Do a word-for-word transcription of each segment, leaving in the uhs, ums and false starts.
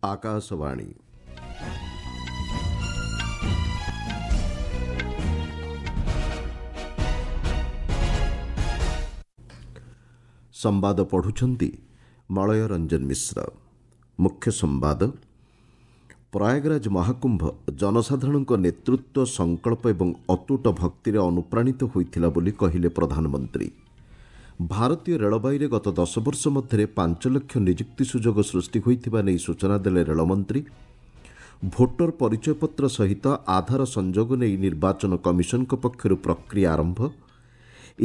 ଆକାଶବାଣୀ। ସମ୍ବାଦ ପଢ଼ୁଛନ୍ତି ମଳୟ ରଞ୍ଜନ ମିଶ୍ର। ମୁଖ୍ୟ ସମ୍ବାଦ। ପ୍ରୟାଗରାଜ ମହାକୁମ୍ଭ ଜନସାଧାରଣଙ୍କ ନେତୃତ୍ୱ, ସଂକଳ୍ପ ଏବଂ ଅତୁଟ ଭକ୍ତିରେ ଅନୁପ୍ରାଣିତ ହୋଇଥିଲା ବୋଲି କହିଲେ ପ୍ରଧାନମନ୍ତ୍ରୀ। ଭାରତୀୟ ରେଳବାଇରେ ଗତ ଦଶ ବର୍ଷ ମଧ୍ୟରେ ପାଞ୍ଚ ଲକ୍ଷ ନିଯୁକ୍ତି ସୁଯୋଗ ସୃଷ୍ଟି ହୋଇଥିବା ନେଇ ସୂଚନା ଦେଲେ ରେଳମନ୍ତ୍ରୀ। ଭୋଟର ପରିଚୟପତ୍ର ସହିତ ଆଧାର ସଂଯୋଗ ନେଇ ନିର୍ବାଚନ କମିଶନଙ୍କ ପକ୍ଷରୁ ପ୍ରକ୍ରିୟା ଆରମ୍ଭ।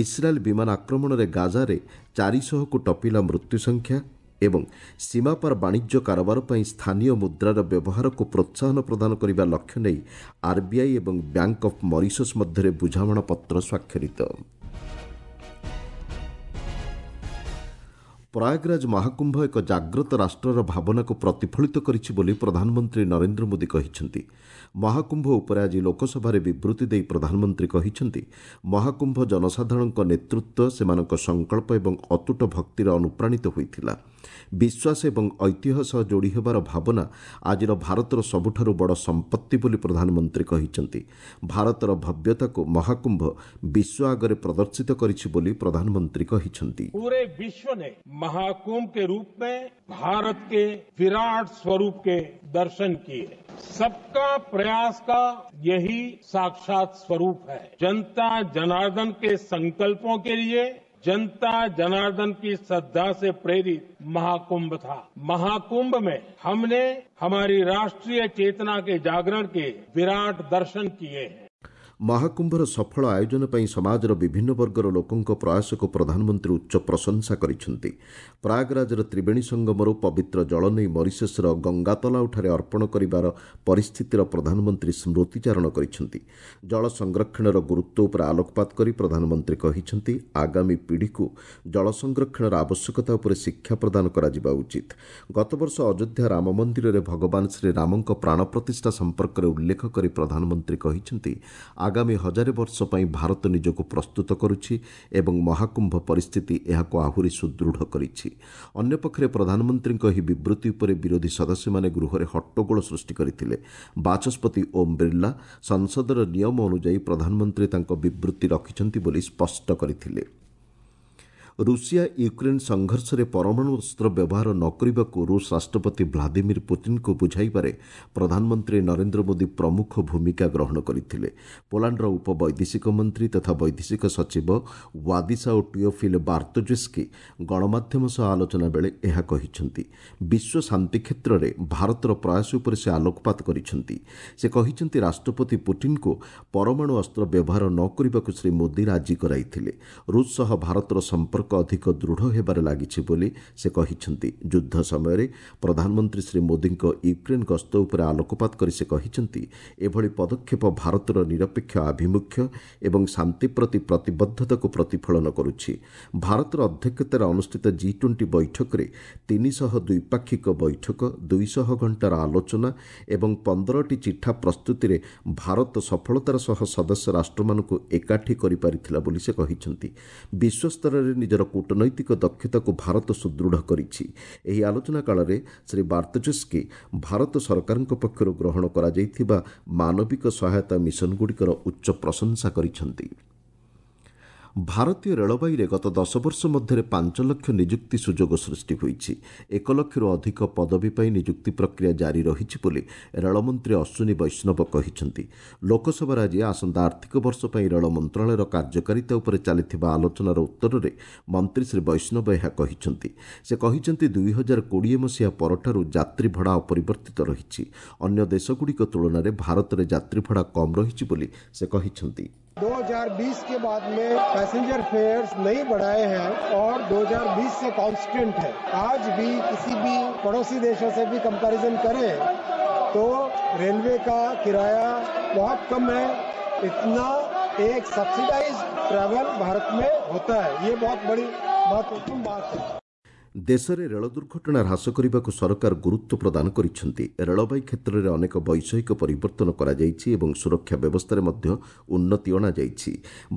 ଇସ୍ରାଏଲ୍ ବିମାନ ଆକ୍ରମଣରେ ଗାଜାରେ ଚାରିଶହକୁ ଟପିଲା ମୃତ୍ୟୁ ସଂଖ୍ୟା ଏବଂ ସୀମାପାର ବାଣିଜ୍ୟ କାରବାର ପାଇଁ ସ୍ଥାନୀୟ ମୁଦ୍ରାର ବ୍ୟବହାରକୁ ପ୍ରୋତ୍ସାହନ ପ୍ରଦାନ କରିବା ଲକ୍ଷ୍ୟ ନେଇ ଆର୍ବିଆଇ ଏବଂ ବ୍ୟାଙ୍କ ଅଫ୍ ମରିସସ୍ ମଧ୍ୟରେ ବୁଝାମଣାପତ୍ର ସ୍ୱାକ୍ଷରିତ। ପ୍ରୟାଗରାଜ ମହାକୁମ୍ଭ ଏକ ଜାଗ୍ରତ ରାଷ୍ଟ୍ରର ଭାବନାକୁ ପ୍ରତିଫଳିତ କରିଛି ବୋଲି ପ୍ରଧାନମନ୍ତ୍ରୀ ନରେନ୍ଦ୍ର ମୋଦି କହିଛନ୍ତି। ମହାକୁମ୍ଭ ଉପରେ ଆଜି ଲୋକସଭାରେ ବିବୃତି ଦେଇ ପ୍ରଧାନମନ୍ତ୍ରୀ କହିଛନ୍ତି, ମହାକୁମ୍ଭ ଜନସାଧାରଣଙ୍କ ନେତୃତ୍ୱ, ସେମାନଙ୍କ ସଂକଳ୍ପ ଏବଂ ଅତୁଟ ଭକ୍ତିରେ ଅନୁପ୍ରାଣିତ ହୋଇଥିଲା। ବିଶ୍ୱାସ ଏବଂ ଐତିହ୍ୟ ସହ ଯୋଡ଼ି ହେବାର ଭାବନା ଆଜିର ଭାରତର ସବୁଠାରୁ ବଡ଼ ସମ୍ପତ୍ତି ବୋଲି ପ୍ରଧାନମନ୍ତ୍ରୀ କହିଛନ୍ତି। ଭାରତର ଭବ୍ୟତାକୁ ମହାକୁମ୍ଭ ବିଶ୍ୱ ଆଗରେ ପ୍ରଦର୍ଶିତ କରିଛି ବୋଲି ପ୍ରଧାନମନ୍ତ୍ରୀ କହିଛନ୍ତି। पूरे विश्व ने महाकुंभ के रूप में भारत के विराट स्वरूप के दर्शन किए। सबका प्रयास का यही साक्षात स्वरूप है। जनता जनार्दन के संकल्पों के लिए जनता जनार्दन की श्रद्धा से प्रेरित महाकुंभ था। महाकुंभ में हमने हमारी राष्ट्रीय चेतना के जागरण के विराट दर्शन किए हैं। ମହାକୁମ୍ଭର ସଫଳ ଆୟୋଜନ ପାଇଁ ସମାଜର ବିଭିନ୍ନ ବର୍ଗର ଲୋକଙ୍କ ପ୍ରୟାସକୁ ପ୍ରଧାନମନ୍ତ୍ରୀ ଉଚ୍ଚ ପ୍ରଶଂସା କରିଛନ୍ତି। ପ୍ରୟାଗରାଜର ତ୍ରିବେଣୀ ସଙ୍ଗମରୁ ପବିତ୍ର ଜଳ ନେଇ ମରିସସ୍ର ଗଙ୍ଗାତଲାଉଠାରେ ଅର୍ପଣ କରିବାର ପରିସ୍ଥିତିର ପ୍ରଧାନମନ୍ତ୍ରୀ ସ୍ମୃତିଚାରଣ କରିଛନ୍ତି। ଜଳ ସଂରକ୍ଷଣର ଗୁରୁତ୍ୱ ଉପରେ ଆଲୋକପାତ କରି ପ୍ରଧାନମନ୍ତ୍ରୀ କହିଛନ୍ତି, ଆଗାମୀ ପିଢ଼ିକୁ ଜଳ ସଂରକ୍ଷଣର ଆବଶ୍ୟକତା ଉପରେ ଶିକ୍ଷା ପ୍ରଦାନ କରାଯିବା ଉଚିତ। ଗତବର୍ଷ ଅଯୋଧ୍ୟା ରାମ ମନ୍ଦିରରେ ଭଗବାନ ଶ୍ରୀରାମଙ୍କ ପ୍ରାଣ ପ୍ରତିଷ୍ଠା ସମ୍ପର୍କରେ ଉଲ୍ଲେଖ କରି ପ୍ରଧାନମନ୍ତ୍ରୀ କହିଛନ୍ତି, ଆଗାମୀ ହଜାରେ ବର୍ଷ ପାଇଁ ଭାରତ ନିଜକୁ ପ୍ରସ୍ତୁତ କରୁଛି ଏବଂ ମହାକୁମ୍ଭ ପରିସ୍ଥିତି ଏହାକୁ ଆହୁରି ସୁଦୃଢ଼ କରିଛି। ଅନ୍ୟପକ୍ଷରେ ପ୍ରଧାନମନ୍ତ୍ରୀଙ୍କ ଏହି ବିବୃତି ଉପରେ ବିରୋଧୀ ସଦସ୍ୟମାନେ ଗୃହରେ ହଟ୍ଟଗୋଳ ସୃଷ୍ଟି କରିଥିଲେ। ବାଚସ୍ପତି ଓମ୍ ବିର୍ଲା ସଂସଦର ନିୟମ ଅନୁଯାୟୀ ପ୍ରଧାନମନ୍ତ୍ରୀ ତାଙ୍କ ବିବୃତି ରଖିଛନ୍ତି ବୋଲି ସ୍ପଷ୍ଟ କରିଥିଲେ। ରୁଷିଆ ୟୁକ୍ରେନ୍ ସଂଘର୍ଷରେ ପରମାଣୁ ଅସ୍ତ୍ର ବ୍ୟବହାର ନ କରିବାକୁ ରୁଷ ରାଷ୍ଟ୍ରପତି ଭ୍ଲାଦିମିର ପୁତିନ୍ଙ୍କୁ ବୁଝାଇବାରେ ପ୍ରଧାନମନ୍ତ୍ରୀ ନରେନ୍ଦ୍ର ମୋଦି ପ୍ରମୁଖ ଭୂମିକା ଗ୍ରହଣ କରିଥିଲେ। ପୋଲାଣ୍ଡର ଉପବୈଦେଶିକ ମନ୍ତ୍ରୀ ତଥା ବୈଦେଶିକ ସଚିବ ୱାଦିସାଓ ଟିଓଫିଲ୍ ବାର୍ତ୍ତୋଜେସ୍କି ଗଣମାଧ୍ୟମ ସହ ଆଲୋଚନା ବେଳେ ଏହା କହିଛନ୍ତି। ବିଶ୍ୱ ଶାନ୍ତି କ୍ଷେତ୍ରରେ ଭାରତର ପ୍ରୟାସ ଉପରେ ସେ ଆଲୋକପାତ କରିଛନ୍ତି। ସେ କହିଛନ୍ତି, ରାଷ୍ଟ୍ରପତି ପୁତିନ୍ଙ୍କୁ ପରମାଣୁ ଅସ୍ତ୍ର ବ୍ୟବହାର ନ କରିବାକୁ ଶ୍ରୀ ମୋଦି ରାଜି କରାଇଥିଲେ। ରୁଷ ସହ ଭାରତର ସମ୍ପର୍କ ଅଧିକ ଦୃଢ଼ ହେବାରେ ଲାଗିଛି ବୋଲି ସେ କହିଛନ୍ତି। ଯୁଦ୍ଧ ସମୟରେ ପ୍ରଧାନମନ୍ତ୍ରୀ ଶ୍ରୀ ମୋଦିଙ୍କ ୟୁକ୍ରେନ୍ ଗସ୍ତ ଉପରେ ଆଲୋକପାତ କରି ସେ କହିଛନ୍ତି, ଏଭଳି ପଦକ୍ଷେପ ଭାରତର ନିରପେକ୍ଷ ଆଭିମୁଖ୍ୟ ଏବଂ ଶାନ୍ତି ପ୍ରତି ପ୍ରତିବଦ୍ଧତାକୁ ପ୍ରତିଫଳନ କରୁଛି। ଭାରତର ଅଧ୍ୟକ୍ଷତାରେ ଅନୁଷ୍ଠିତ ଜି ଟ୍ୱେଣ୍ଟି ବୈଠକରେ ତିନିଶହ ଦ୍ୱିପାକ୍ଷିକ ବୈଠକ, ଦୁଇଶହ ଘଣ୍ଟାର ଆଲୋଚନା ଏବଂ ପନ୍ଦରଟି ଚିଠା ପ୍ରସ୍ତୁତିରେ ଭାରତ ସଫଳତାର ସହ ସଦସ୍ୟ ରାଷ୍ଟ୍ରମାନଙ୍କୁ ଏକାଠି କରିପାରିଥିଲା ବୋଲି ସେ କହିଛନ୍ତି। ବିଶ୍ୱସ୍ତରରେ ନିଜର କୂଟନୈତିକ ଦକ୍ଷତାକୁ ଭାରତ ସୁଦୃଢ଼ କରିଛି। ଏହି ଆଲୋଚନା କାଳରେ ଶ୍ରୀ ବାର୍ତ୍ତୋଜେସ୍କି ଭାରତ ସରକାରଙ୍କ ପକ୍ଷରୁ ଗ୍ରହଣ କରାଯାଇଥିବା ମାନବିକ ସହାୟତା ମିଶନଗୁଡ଼ିକର ଉଚ୍ଚ ପ୍ରଶଂସା କରିଛନ୍ତି। ଭାରତୀୟ ରେଳବାଇରେ ଗତ ଦଶ ବର୍ଷ ମଧ୍ୟରେ ପାଞ୍ଚ ଲକ୍ଷ ନିଯୁକ୍ତି ସୁଯୋଗ ସୃଷ୍ଟି ହୋଇଛି। ଏକ ଲକ୍ଷରୁ ଅଧିକ ପଦବୀ ପାଇଁ ନିଯୁକ୍ତି ପ୍ରକ୍ରିୟା ଜାରି ରହିଛି ବୋଲି ରେଳମନ୍ତ୍ରୀ ଅଶ୍ୱିନୀ ବୈଷ୍ଣବ କହିଛନ୍ତି। ଲୋକସଭାରେ ଆଜି ଆସନ୍ତା ଆର୍ଥିକ ବର୍ଷ ପାଇଁ ରେଳ ମନ୍ତ୍ରଣାଳୟର କାର୍ଯ୍ୟକାରିତା ଉପରେ ଚାଲିଥିବା ଆଲୋଚନାର ଉତ୍ତରରେ ମନ୍ତ୍ରୀ ଶ୍ରୀ ବୈଷ୍ଣବ ଏହା କହିଛନ୍ତି। ସେ କହିଛନ୍ତି, ଦୁଇ ହଜାର କୋଡ଼ିଏ ମସିହା ପରଠାରୁ ଯାତ୍ରୀ ଭଡ଼ା ଅପରିବର୍ତ୍ତିତ ରହିଛି। ଅନ୍ୟ ଦେଶଗୁଡ଼ିକ ତୁଳନାରେ ଭାରତରେ ଯାତ୍ରୀ ଭଡ଼ା କମ୍ ରହିଛି ବୋଲି ସେ କହିଛନ୍ତି। दो हज़ार बीस के बाद में पैसेंजर फेयर्स नहीं बढ़ाए हैं और दो हज़ार बीस से कांस्टेंट है। आज भी किसी भी पड़ोसी देशों से भी कंपैरिजन करें तो रेलवे का किराया बहुत कम है। इतना एक सब्सिडाइज ट्रैवल भारत में होता है, ये बहुत बड़ी महत्वपूर्ण बात है। ଦେଶରେ ରେଳ ଦୁର୍ଘଟଣା ହ୍ରାସ କରିବାକୁ ସରକାର ଗୁରୁତ୍ୱ ପ୍ରଦାନ କରିଛନ୍ତି। ରେଳବାଇ କ୍ଷେତ୍ରରେ ଅନେକ ବୈଷୟିକ ପରିବର୍ତ୍ତନ କରାଯାଇଛି ଏବଂ ସୁରକ୍ଷା ବ୍ୟବସ୍ଥାରେ ମଧ୍ୟ ଉନ୍ନତି ଅଣାଯାଇଛି।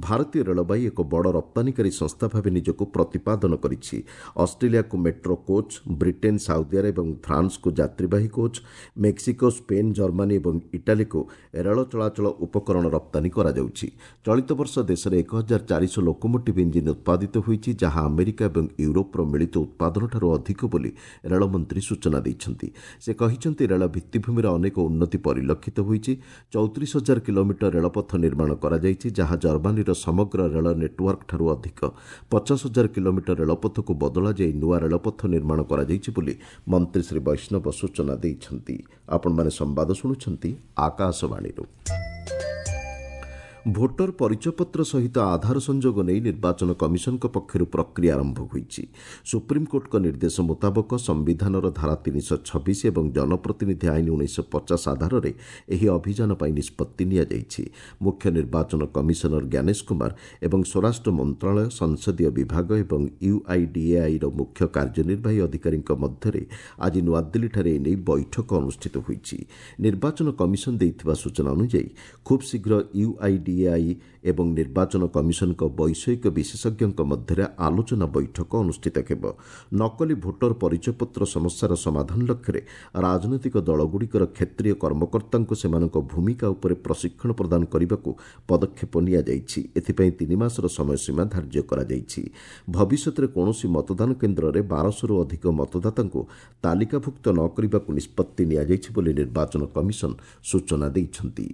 ଭାରତୀୟ ରେଳବାଇ ଏକ ବଡ଼ ରପ୍ତାନୀକାରୀ ସଂସ୍ଥା ଭାବେ ନିଜକୁ ପ୍ରତିପାଦନ କରିଛି। ଅଷ୍ଟ୍ରେଲିଆକୁ metro coach, Britain, Saudi Arab ଏବଂ ଫ୍ରାନ୍ସକୁ ଯାତ୍ରୀବାହୀ କୋଚ୍, ମେକ୍ସିକୋ, ସ୍ପେନ୍, ଜର୍ମାନୀ ଏବଂ ଇଟାଲୀକୁ ରେଳ ଚଳାଚଳ ଉପକରଣ ରପ୍ତାନୀ କରାଯାଉଛି। ଚଳିତ ବର୍ଷ ଦେଶରେ ଏକ ହଜାର ଚାରିଶହ ଲୋକୋମୋଟିଭ୍ ଇଞ୍ଜିନ୍ ଉତ୍ପାଦିତ ହୋଇଛି, ଯାହା ଆମେରିକା ଏବଂ ୟୁରୋପର ମିଳିତ ଉତ୍ପାଦନ ଠାରୁ ଅଧିକ ବୋଲି ରେଳମନ୍ତ୍ରୀ ସୂଚନା ଦେଇଛନ୍ତି। ସେ କହିଛନ୍ତି, ରେଳ ଭିତ୍ତିଭୂମିର ଅନେକ ଉନ୍ନତି ପରିଲକ୍ଷିତ ହୋଇଛି। ଚଉତିରିଶ ହଜାର କିଲୋମିଟର ରେଳପଥ ନିର୍ମାଣ କରାଯାଇଛି, ଯାହା ଜର୍ମାନୀର ସମଗ୍ର ରେଳ ନେଟୱାର୍କଠାରୁ ଅଧିକ। ପଚାଶ ହଜାର କିଲୋମିଟର ରେଳପଥକୁ ବଦଳାଯାଇ ନୂଆ ରେଳପଥ ନିର୍ମାଣ କରାଯାଇଛି ବୋଲି ମନ୍ତ୍ରୀ ଶ୍ରୀ ବୈଷ୍ଣବ ସୂଚନା ଦେଇଛନ୍ତି। ଆପଣମାନେ ସମ୍ବାଦ ଶୁଣୁଛନ୍ତି ଆକାଶବାଣୀରୁ। ଭୋଟର ପରିଚୟପତ୍ର ସହିତ ଆଧାର ସଂଯୋଗ ନେଇ ନିର୍ବାଚନ କମିଶନଙ୍କ ପକ୍ଷରୁ ପ୍ରକ୍ରିୟା ଆରମ୍ଭ ହୋଇଛି। ସୁପ୍ରିମକୋର୍ଟଙ୍କ ନିର୍ଦ୍ଦେଶ ମୁତାବକ ସମ୍ବିଧାନର ଧାରା ତିନିଶହ ଛବିଶ ଏବଂ ଜନପ୍ରତିନିଧି ଆଇନ ଉଣେଇଶହ ପଚାଶ ଆଧାରରେ ଏହି ଅଭିଯାନ ପାଇଁ ନିଷ୍ପତ୍ତି ନିଆଯାଇଛି। ମୁଖ୍ୟ ନିର୍ବାଚନ କମିଶନର ଜ୍ଞାନେଶ କୁମାର ଏବଂ ସ୍ୱରାଷ୍ଟ୍ର ମନ୍ତ୍ରଣାଳୟ, ସଂସଦୀୟ ବିଭାଗ ଏବଂ ୟୁଆଇଡିଏଆଇର ମୁଖ୍ୟ କାର୍ଯ୍ୟନିର୍ବାହୀ ଅଧିକାରୀଙ୍କ ମଧ୍ୟରେ ଆଜି ନୂଆଦିଲ୍ଲୀଠାରେ ଏନେଇ ବୈଠକ ଅନୁଷ୍ଠିତ ହୋଇଛି। ନିର୍ବାଚନ କମିଶନ ଦେଇଥିବା ସୂଚନା ଅନୁଯାୟୀ ଖୁବ୍ ଶୀଘ୍ର ୟୁଆଇଡି ଏଆଇ ଏବଂ ନିର୍ବାଚନ କମିଶନଙ୍କ ବୈଷୟିକ ବିଶେଷଜ୍ଞଙ୍କ ମଧ୍ୟରେ ଆଲୋଚନା ବୈଠକ ଅନୁଷ୍ଠିତ ହେବ। ନକଲି ଭୋଟର ପରିଚୟପତ୍ର ସମସ୍ୟାର ସମାଧାନ ଲକ୍ଷ୍ୟରେ ରାଜନୈତିକ ଦଳଗୁଡ଼ିକର କ୍ଷେତ୍ରୀୟ କର୍ମକର୍ତ୍ତାଙ୍କୁ ସେମାନଙ୍କ ଭୂମିକା ଉପରେ ପ୍ରଶିକ୍ଷଣ ପ୍ରଦାନ କରିବାକୁ ପଦକ୍ଷେପ ନିଆଯାଇଛି। ଏଥିପାଇଁ ତିନି ମାସର ସମୟସୀମା ଧାର୍ଯ୍ୟ କରାଯାଇଛି। ଭବିଷ୍ୟତରେ କୌଣସି ମତଦାନ କେନ୍ଦ୍ରରେ ବାରଶହରୁ ଅଧିକ ମତଦାତାଙ୍କୁ ତାଲିକାଭୁକ୍ତ ନ କରିବାକୁ ନିଷ୍ପତ୍ତି ନିଆଯାଇଛି ବୋଲି ନିର୍ବାଚନ କମିଶନ ସୂଚନା ଦେଇଛନ୍ତି।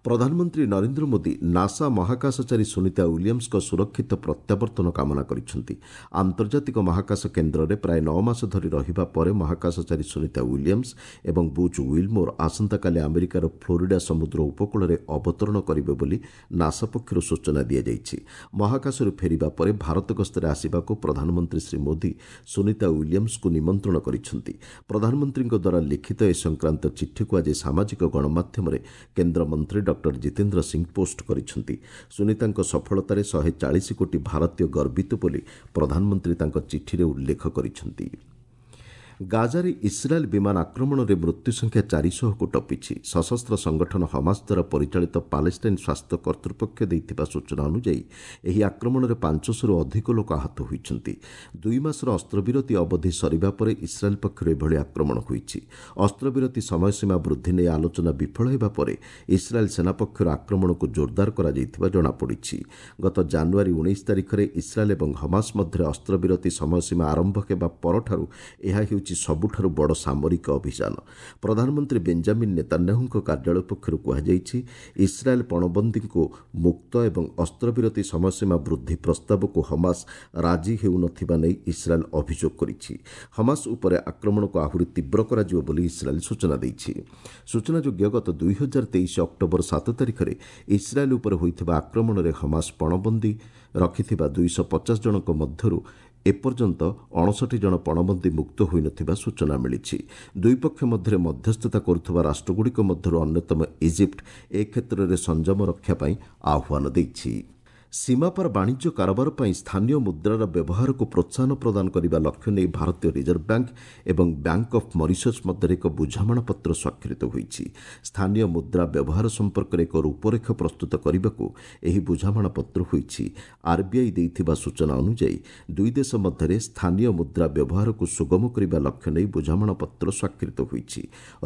ପ୍ରଧାନମନ୍ତ୍ରୀ ନରେନ୍ଦ୍ର ମୋଦି ନାସା ମହାକାଶଚାରୀ ସୁନିତା ୱିଲିୟମ୍ସଙ୍କ ସୁରକ୍ଷିତ ପ୍ରତ୍ୟାବର୍ତ୍ତନ କାମନା କରିଛନ୍ତି। ଆନ୍ତର୍ଜାତିକ ମହାକାଶ କେନ୍ଦ୍ରରେ ପ୍ରାୟ ନଅ ମାସ ଧରି ରହିବା ପରେ ମହାକାଶଚାରୀ ସୁନିତା ୱିଲିୟମ୍ସ ଏବଂ ବୁଚ୍ ୱିଲମୋର ଆସନ୍ତାକାଲି ଆମେରିକାର ଫ୍ଲୋରିଡା ସମୁଦ୍ର ଉପକୂଳରେ ଅବତରଣ କରିବେ ବୋଲି ନାସା ପକ୍ଷରୁ ସୂଚନା ଦିଆଯାଇଛି। ମହାକାଶରୁ ଫେରିବା ପରେ ଭାରତ ଗସ୍ତରେ ଆସିବାକୁ ପ୍ରଧାନମନ୍ତ୍ରୀ ଶ୍ରୀ ମୋଦି ସୁନିତା ୱିଲିୟମ୍ସଙ୍କୁ ନିମନ୍ତ୍ରଣ କରିଛନ୍ତି। ପ୍ରଧାନମନ୍ତ୍ରୀଙ୍କ ଦ୍ୱାରା ଲିଖିତ ଏ ସଂକ୍ରାନ୍ତ ଚିଠିକୁ ଆଜି ସାମାଜିକ ଗଣମାଧ୍ୟମରେ କେନ୍ଦ୍ରମନ୍ତ୍ରୀ ଡକ୍ଟର ଜିତେନ୍ଦ୍ର ସିଂ ପୋଷ୍ଟ କରିଛନ୍ତି। ସୁନିତାଙ୍କ ସଫଳତାରେ ଶହେ ଚାଳିଶ କୋଟି ଭାରତୀୟ ଗର୍ବିତ ବୋଲି ପ୍ରଧାନମନ୍ତ୍ରୀ ତାଙ୍କ ଚିଠିରେ ଉଲ୍ଲେଖ କରିଛନ୍ତି। ଗାଜାରେ ଇସ୍ରାଏଲ୍ ବିମାନ ଆକ୍ରମଣରେ ମୃତ୍ୟୁ ସଂଖ୍ୟା ଚାରିଶହକୁ ଟପିଛି। ସଶସ୍ତ୍ର ସଂଗଠନ ହମାସ ଦ୍ୱାରା ପରିଚାଳିତ ପାଲେଷ୍ଟାଇନ୍ ସ୍ୱାସ୍ଥ୍ୟ କର୍ତ୍ତୃପକ୍ଷ ଦେଇଥିବା ସୂଚନା ଅନୁଯାୟୀ ଏହି ଆକ୍ରମଣରେ ପାଞ୍ଚଶହରୁ ଅଧିକ ଲୋକ ଆହତ ହୋଇଛନ୍ତି। ଦୁଇ ମାସର ଅସ୍ତ୍ରବିରତି ଅବଧି ସରିବା ପରେ ଇସ୍ରାଏଲ୍ ପକ୍ଷରୁ ଏଭଳି ଆକ୍ରମଣ ହୋଇଛି। ଅସ୍ତ୍ରବିରତି ସମୟସୀମା ବୃଦ୍ଧି ନେଇ ଆଲୋଚନା ବିଫଳ ହେବା ପରେ ଇସ୍ରାଏଲ୍ ସେନା ପକ୍ଷରୁ ଆକ୍ରମଣକୁ ଜୋରଦାର କରାଯାଇଥିବା ଜଣାପଡ଼ିଛି। ଗତ ଜାନୁଆରୀ ଉଣେଇଶ ତାରିଖରେ ଇସ୍ରାଏଲ୍ ଏବଂ ହମାସ ମଧ୍ୟରେ ଅସ୍ତ୍ରବିରତି ସମୟସୀମା ଆରମ୍ଭ ହେବା ପରଠାରୁ ଏହା ହେଉଛି ସବୁଠାରୁ ବଡ଼ ସାମରିକ ଅଭିଯାନ। ପ୍ରଧାନମନ୍ତ୍ରୀ ବେଞ୍ଜାମିନ୍ ନେତାନ୍ୟାହୁଙ୍କ କାର୍ଯ୍ୟାଳୟ ପକ୍ଷରୁ କୁହାଯାଇଛି, ଇସ୍ରାଏଲ୍ ପଣବନ୍ଦୀଙ୍କୁ ମୁକ୍ତ ଏବଂ ଅସ୍ତ୍ରବିରତି ସମୟସୀମା ବୃଦ୍ଧି ପ୍ରସ୍ତାବକୁ ହମାସ ରାଜି ହେଉନଥିବା ନେଇ ଇସ୍ରାଏଲ୍ ଅଭିଯୋଗ କରିଛି। ହମାସ ଉପରେ ଆକ୍ରମଣକୁ ଆହୁରି ତୀବ୍ର କରାଯିବ ବୋଲି ଇସ୍ରାଏଲ୍ ସୂଚନା ଦେଇଛି। ସୂଚନାଯୋଗ୍ୟ, ଗତ ଦୁଇ ହଜାର ତେଇଶ ଅକ୍ଟୋବର ସାତ ତାରିଖରେ ଇସ୍ରାଏଲ୍ ଉପରେ ହୋଇଥିବା ଆକ୍ରମଣରେ ହମାସ ପଣବନ୍ଦୀ ରଖିଥିବା ଦୁଇଶହ ପଚାଶ ଜଣଙ୍କ ମଧ୍ୟରୁ ଏପର୍ଯ୍ୟନ୍ତ ଅଣଷଠି ଜଣ ପଣବନ୍ଦୀ ମୁକ୍ତ ହୋଇନଥିବା ସୂଚନା ମିଳିଛି। ଦୁଇ ପକ୍ଷ ମଧ୍ୟରେ ମଧ୍ୟସ୍ଥତା କରୁଥିବା ରାଷ୍ଟ୍ରଗୁଡ଼ିକ ମଧ୍ୟରୁ ଅନ୍ୟତମ ଇଜିପ୍ଟ ଏ କ୍ଷେତ୍ରରେ ସଂଯମ ରକ୍ଷା ପାଇଁ ଆହ୍ୱାନ ଦେଇଛି। ସୀମାପାର ବାଣିଜ୍ୟ କାରବାର ପାଇଁ ସ୍ଥାନୀୟ ମୁଦ୍ରାର ବ୍ୟବହାରକୁ ପ୍ରୋତ୍ସାହନ ପ୍ରଦାନ କରିବା ଲକ୍ଷ୍ୟ ନେଇ ଭାରତୀୟ ରିଜର୍ଭ ବ୍ୟାଙ୍କ ଏବଂ ବ୍ୟାଙ୍କ ଅଫ୍ ମରିସସ୍ ମଧ୍ୟରେ ଏକ ବୁଝାମଣାପତ୍ର ସ୍ୱାକ୍ଷରିତ ହୋଇଛି। ସ୍ଥାନୀୟ ମୁଦ୍ରା ବ୍ୟବହାର ସମ୍ପର୍କରେ ଏକ ରୂପରେଖ ପ୍ରସ୍ତୁତ କରିବାକୁ ଏହି ବୁଝାମଣାପତ୍ର ହୋଇଛି। ଆର୍ବିଆଇ ଦେଇଥିବା ସୂଚନା ଅନୁଯାୟୀ ଦୁଇ ଦେଶ ମଧ୍ୟରେ ସ୍ଥାନୀୟ ମୁଦ୍ରା ବ୍ୟବହାରକୁ ସୁଗମ କରିବା ଲକ୍ଷ୍ୟ ନେଇ ବୁଝାମଣାପତ୍ର ସ୍ୱାକ୍ଷରିତ ହୋଇଛି।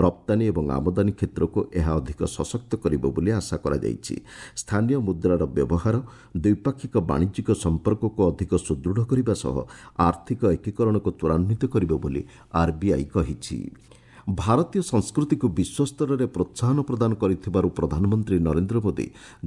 ରପ୍ତାନୀ ଏବଂ ଆମଦାନୀ କ୍ଷେତ୍ରକୁ ଏହା ଅଧିକ ସଶକ୍ତ କରିବ ବୋଲି ଆଶା କରାଯାଇଛି। ସ୍ଥାନୀୟ ମୁଦ୍ରାର ବ୍ୟବହାର ଦ୍ୱିପାକ୍ଷିକ ବାଣିଜ୍ୟିକ ସମ୍ପର୍କକୁ ଅଧିକ ସୁଦୃଢ଼ କରିବା ସହ ଆର୍ଥିକ ଏକୀକରଣକୁ ତ୍ୱରାନ୍ୱିତ କରିବ ବୋଲି ଆର୍ବିଆଇ କହିଛି। ଭାରତୀୟ ସଂସ୍କୃତିକୁ ବିଶ୍ୱସ୍ତରରେ ପ୍ରୋତ୍ସାହନ ପ୍ରଦାନ କରିଥିବାରୁ ପ୍ରଧାନମନ୍ତ୍ରୀ ନରେନ୍ଦ୍ର ମୋଦି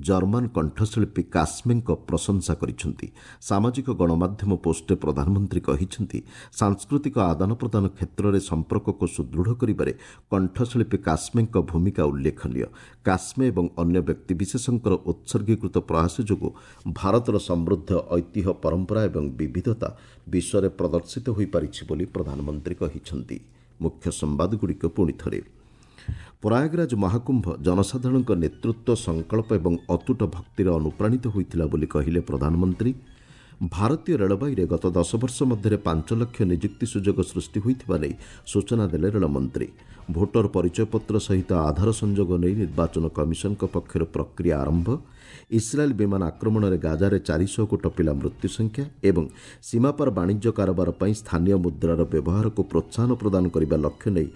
ଜର୍ମାନ କଣ୍ଠଶିଳ୍ପୀ କାସ୍ମେଙ୍କ ପ୍ରଶଂସା କରିଛନ୍ତି। ସାମାଜିକ ଗଣମାଧ୍ୟମ ପୋଷ୍ଟରେ ପ୍ରଧାନମନ୍ତ୍ରୀ କହିଛନ୍ତି, ସାଂସ୍କୃତିକ ଆଦାନ ପ୍ରଦାନ କ୍ଷେତ୍ରରେ ସମ୍ପର୍କକୁ ସୁଦୃଢ଼ କରିବାରେ କଣ୍ଠଶିଳ୍ପୀ କାସ୍ମେଙ୍କ ଭୂମିକା ଉଲ୍ଲେଖନୀୟ। କାସ୍ମେ ଏବଂ ଅନ୍ୟ ବ୍ୟକ୍ତିବିଶେଷଙ୍କର ଉତ୍ସର୍ଗୀକୃତ ପ୍ରୟାସ ଯୋଗୁଁ ଭାରତର ସମୃଦ୍ଧ ଐତିହ୍ୟ, ପରମ୍ପରା ଏବଂ ବିବିଧତା ବିଶ୍ୱରେ ପ୍ରଦର୍ଶିତ ହୋଇପାରିଛି ବୋଲି ପ୍ରଧାନମନ୍ତ୍ରୀ କହିଛନ୍ତି। ମୁଖ୍ୟ ସମ୍ବାଦଗୁଡ଼ିକ ପୁଣି ଥରେ। ପ୍ରୟାଗରାଜ ମହାକୁମ୍ଭ ଜନସାଧାରଣଙ୍କ ନେତୃତ୍ୱ, ସଂକଳ୍ପ ଏବଂ ଅତୁଟ ଭକ୍ତିରେ ଅନୁପ୍ରାଣିତ ହୋଇଥିଲା ବୋଲି କହିଲେ ପ୍ରଧାନମନ୍ତ୍ରୀ। ଭାରତୀୟ ରେଳବାଇରେ ଗତ ଦଶ ବର୍ଷ ମଧ୍ୟରେ ପାଞ୍ଚ ଲକ୍ଷ ନିଯୁକ୍ତି ସୁଯୋଗ ସୃଷ୍ଟି ହୋଇଥିବା ନେଇ ସୂଚନା ଦେଲେ ରେଳମନ୍ତ୍ରୀ। ଭୋଟର ପରିଚୟପତ୍ର ସହିତ ଆଧାର ସଂଯୋଗ ନେଇ ନିର୍ବାଚନ କମିଶନଙ୍କ ପକ୍ଷରୁ ପ୍ରକ୍ରିୟା ଆରମ୍ଭ। ଇସ୍ରାଏଲ୍ ବିମାନ ଆକ୍ରମଣରେ ଗାଜାରେ ଚାରିଶହକୁ ଟପିଲା ମୃତ୍ୟୁ ସଂଖ୍ୟା ଏବଂ ସୀମାପାର ବାଣିଜ୍ୟ କାରବାର ପାଇଁ ସ୍ଥାନୀୟ ମୁଦ୍ରାର ବ୍ୟବହାରକୁ ପ୍ରୋତ୍ସାହନ ପ୍ରଦାନ କରିବା ଲକ୍ଷ୍ୟ ନେଇ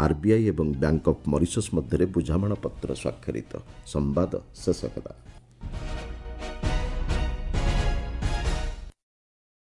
ଆର୍ବିଆଇ ଏବଂ ବ୍ୟାଙ୍କ ଅଫ୍ ମରିସସ୍ ମଧ୍ୟରେ ବୁଝାମଣାପତ୍ର ସ୍ୱାକ୍ଷରିତ। ସମ୍ବାଦ ଶେଷ ହେଲା।